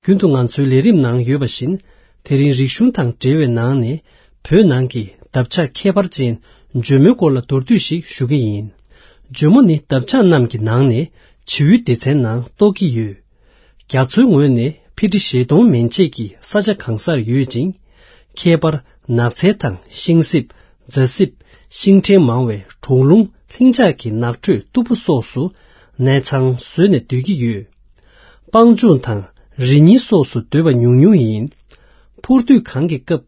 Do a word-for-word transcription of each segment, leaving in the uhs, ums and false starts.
རྒྱུན་དུ་ང་ཚོའི་ལས་རིམ་ནང་ཡོད་པ་བཞིན། དེ་རིང་རིག་གཞུང་དང་འབྲེལ་བའི་ནང་ནས། བོད་ནང་གི་འདབ་ཆགས་ཁྱད་པར་ཅན་འཇོལ་མོའི་སྐོར་ལ་མདོར་བསྡུས་ཤིག་ཞུ་གི་ཡིན། འཇོལ་མོ་ནི་འདབ་ཆགས་རྣམས་ཀྱི་ནང་ནས་བྱིའུའི་སྡེ་ཚན་ནང་གཏོགས་ཀྱི་ཡོད། རྒྱ་མཚོའི་ངོས་ནས་ཕི་ཊི་བཞི་སྟོང་མན་ཆད་ཀྱི་ས་ཆ་གང་སར་ཡོད་ཅིང་། ཁྱད་པར་ནགས་ཚལ་དང་ཤིང་སྲིབ། རྫ་སྲིབ། ཤིང་ཕྲན་མང་བའི་གྲོག་རླུང་ལྷིང་འཇགས་ཀྱི་ནགས་ཁྲོད་སྟུག་པོ་སོགས་སུ་གནས་ཚང་བཟོས་ནས་སྡོད་ཀྱི་ཡོད། སྤང་ལྗོངས་དང་རི་ཉིལ་སོགས་སུ་སྡོད་པ་ཉུང་ཉུང་ཡིན། འཕུར་སྡོད་གང་གི་སྐབས་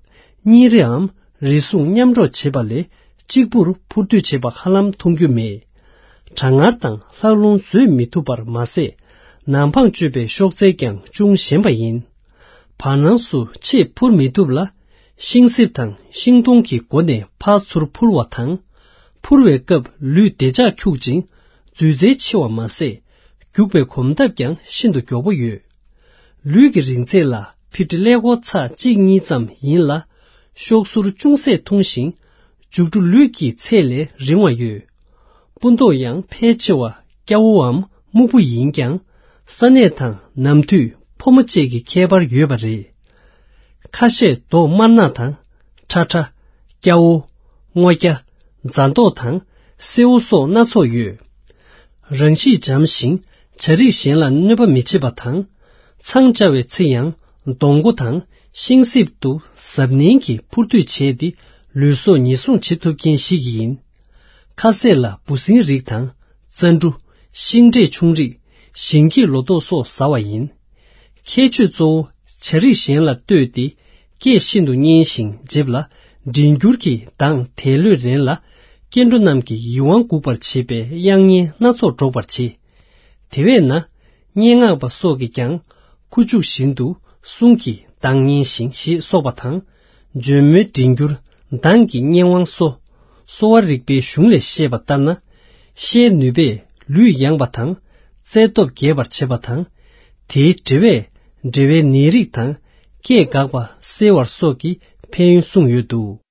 གཉིས་རེའམ་རེ་ཟུང་མཉམ་འགྲོགས་བྱེད་པ་ལས་གཅིག་པུར་འཕུར་སྡོད་བྱེད་པ་ཧ་ལམ་མཐོང་རྒྱུ་མེད། གྲང་ངར་དང་ལྷགས་རླུང་བཟོད་མི་ཐུབ་པར་མ་ཟད། ནམ་འཕང་གཅོད་པའི་གཤོག་རྩལ་ཀྱང་ཅུང་ཞན་པ་ཡིན། བར་སྣང་སུ་ཆེས་འཕུར་མི་ཐུབ་ལ། ཤིང་སྲིབ་དང་ཤིང་སྡོང་གི་མགོ་ནས་ཕར་ཚུར་འཕུར་བ་དང་། འཕུར་བའི་སྐབས་ལུས་བདེ་འཇགས་འཁྱུག་ཅིང་། འཛུལ་རྩལ་ཆེ་བ་མ་ཟད། རྒྱུག་པའི་གོམ་སྟབས་ཀྱང་ཤིན་ཏུ་མགྱོགས་པོ་ཡོད། ལུས་ཀྱི་རིང་ཚད་ལ་ཕི་ཊི་ཀླད་ཀོར་ཚེག་གཅིག་གཉིས་ཙམ་ཡིན་ལ། གཤོག་ཟུར་ཅུང་ཟད་ཐུང་ཞིང་། མཇུག་སྒྲོ་ལུས་ཀྱི་ཚད་ལས་རིང་བ་ཡོད། སྤུ་མདོག་ཡང་ཕལ་ཆེ་བ་སྐྱ་བོའམ་སྨུག་པོ་ཡིན་ཀྱང་། ས་གནས་དང་ནམ་དུས་ཕོ་མོ་བཅས་ཀྱི་ཁྱད་པར་ཡོད་པ་རེད། ཁ་ཤས་མདོག་དམར་ནག་དང་། ཁྲ་ཁྲ། སྐྱ་བོ། སྔོ་སྐྱ། རྫ་མདོག་དང་སེར་པོ་སོགས་སྣ་ཚོགས་ཡོད། རང་གཤིས་འཇམ་ཞིང་བྱ་རིགས་གཞན་ལ་གནོད་པ་མི་བྱེད་པ་དང་། མཚང་བཅའ་བའི་ཚེ་ཡང་སྡོང་མགོ་དང་ཤིང་སྲིབ་ཏུ་གཟབ་ནན་གྱིས་འཕུར་སྡོད་བྱས་ཏེ་ལུས་སྲོག་ཉེན་སྲུང་བྱེད་ཐུབ་མཁན་ཞིག་ཡིན། ཁ་ཟས་ལ་འབུ་སྲིན་རིགས་དང་། རྩྭ་འབྲུ། ཤིང་འབྲས་ཆུང་རིགས། ཞིང་སྐྱེས་ལོ་ཏོག་སོགས་ཟ་བ་ཡིན། ཁྱད་ཆོས་གཙོ་བོ་བྱ་རིགས་གཞན་ལ་ལྟོས་ཏེ་སྐད་ཤིན་ཏུ་སྙན་ཞིང་འཇེབས་ལ། མགྲིན་འགྱུར་གྱི་གདངས་དལ་ལྷོད་རན་ལ། སྐྱེ་འགྲོ་རྣམས་ཀྱི་ཡིད་དབང་འགུག་པར་བྱེད་པའི་དབྱངས་སྙན་སྣ་ཚོགས་སྒྲོག་པར་བྱེད། དེ་བས་ན། སྙན་ངག་པ་སོགས་ཀྱིས་ཀྱང་ཁུ་བྱུག་བཞིན་དུ་གསུང་གི་གདངས་སྙན་ཞིང་ཞེས་སོགས་པ་དང་། འཇོལ་མོའི་མགྲིན་འགྱུར་གདངས་ཀྱི་སྙན་དབང་སོགས། གསོ་བ་རིག་པའི་གཞུང་ལས་བཤད་པ་ལྟར་ན། བཤད་ནུས་པས་ལུས་ཡང་བ་དང་། རྩལ་སྟོབས་རྒྱས་པར་བྱེད་པ་དང་། དེའི་འབྲེལ་བས་འབྲེལ་བའི་ནད་རིགས་དང་། སྐད་འགག་པ་སེལ་བར་སོགས་ཀྱི་ཕན་ཡོན་གསུངས་ཡོད་འདུག།